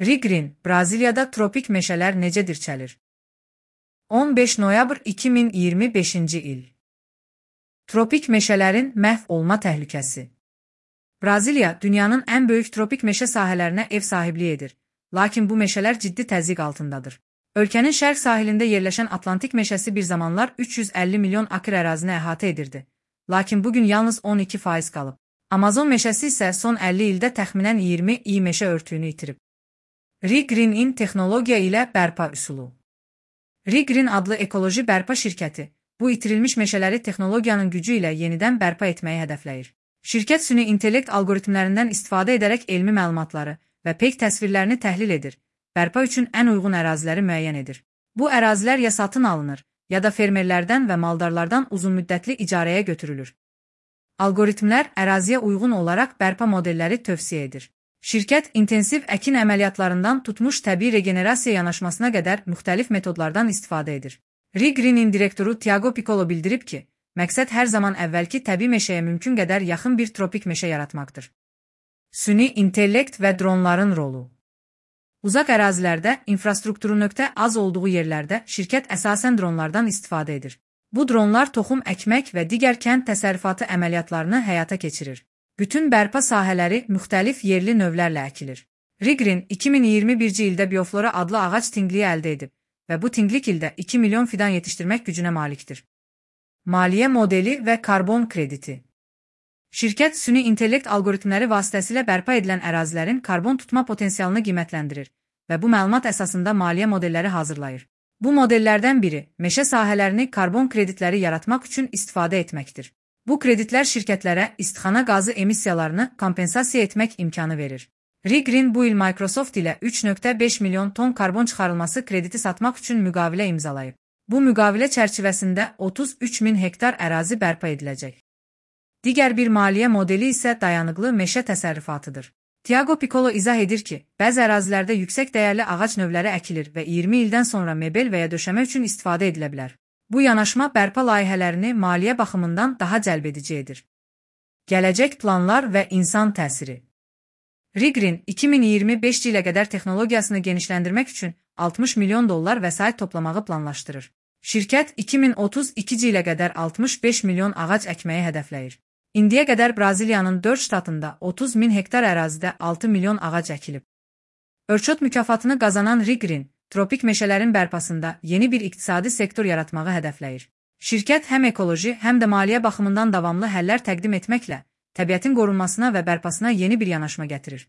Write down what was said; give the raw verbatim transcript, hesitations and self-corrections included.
Rigreen, Braziliyada tropik meşələr necə dirçəlir? on beş noyabr iki min iyirmi beşinci il. Tropik meşələrin məhv olma təhlükəsi. Braziliya, dünyanın ən böyük tropik meşə sahələrinə ev sahibliyi edir, lakin bu meşələr ciddi təzyiq altındadır. Ölkənin şərq sahilində yerləşən Atlantik meşəsi bir zamanlar üç yüz əlli milyon akr ərazini əhatə edirdi, lakin bugün yalnız on iki faiz qalıb. Amazon meşəsi isə son əlli ildə təxminən iyirmi i meşə örtüyünü itirib. Rigreen texnologiya ilə bərpa üsulu. Rigreen adlı ekoloji bərpa şirkəti, bu itirilmiş meşələri texnologiyanın gücü ilə yenidən bərpa etməyi hədəfləyir. Şirkət süni intellekt algoritmlərindən istifadə edərək elmi məlumatları və peyk təsvirlərini təhlil edir, bərpa üçün ən uyğun əraziləri müəyyən edir. Bu ərazilər ya satın alınır, ya da fermerlərdən və maldarlardan uzunmüddətli icarəyə götürülür. Algoritmlər əraziyə uyğun olaraq bərpa modelləri tövsiyə edir. Şirkət intensiv əkin əməliyyatlarından tutmuş təbii regenerasiya yanaşmasına qədər müxtəlif metodlardan istifadə edir. Rigreen direktoru Tiago Piccolo bildirib ki, məqsəd hər zaman əvvəlki təbii meşəyə mümkün qədər yaxın bir tropik meşə yaratmaqdır. Süni intellekt və dronların rolu. Uzaq ərazilərdə infrastrukturu nöqtə az olduğu yerlərdə şirkət əsasən dronlardan istifadə edir. Bu dronlar toxum əkmək və digər kənd təsərrüfatı əməliyyatlarını həyata keçirir. Bütün bərpa sahələri müxtəlif yerli növlərlə əkilir. Rigreen iki min iyirmi birinci ildə Bioflora adlı ağac tingliyi əldə edib və bu tinglik ildə iki milyon fidan yetişdirmək gücünə malikdir. Maliyyə modeli və karbon krediti. Şirkət süni intellekt algoritmləri vasitəsilə bərpa edilən ərazilərin karbon tutma potensialını qiymətləndirir və bu məlumat əsasında maliyyə modelləri hazırlayır. Bu modellərdən biri meşə sahələrini karbon kreditləri yaratmaq üçün istifadə etməkdir. Bu kreditlər şirkətlərə istixana qazı emissiyalarını kompensasiya etmək imkanı verir. Rigreen bu il Microsoft ilə üç nöqtə beş milyon ton karbon çıxarılması krediti satmaq üçün müqavilə imzalayıb. Bu müqavilə çərçivəsində otuz üç min hektar ərazi bərpa ediləcək. Digər bir maliyyə modeli isə dayanıqlı meşə təsərrüfatıdır. Tiago Piccolo izah edir ki, bəzi ərazilərdə yüksək dəyərli ağac növləri əkilir və iyirmi ildən sonra mebel və ya döşəmə üçün istifadə edilə bilər. Bu yanaşma bərpa layihələrini maliyyə baxımından daha cəlbedici edir. Gələcək planlar və insan təsiri. Rigreen iki min iyirmi beşinci ilə qədər texnologiyasını genişləndirmək üçün altmış milyon dollar vəsait toplamağı planlaşdırır. Şirkət iki min otuz ikinci ilə qədər altmış beş milyon ağac əkməyi hədəfləyir. İndiyə qədər Braziliyanın dörd ştatında otuz min hektar ərazidə altı milyon ağac əkilib. Örçot mükafatını qazanan Rigreen, tropik meşələrin bərpasında yeni bir iqtisadi sektor yaratmağı hədəfləyir. Şirkət həm ekoloji, həm də maliyyə baxımından davamlı həllər təqdim etməklə təbiətin qorunmasına və bərpasına yeni bir yanaşma gətirir.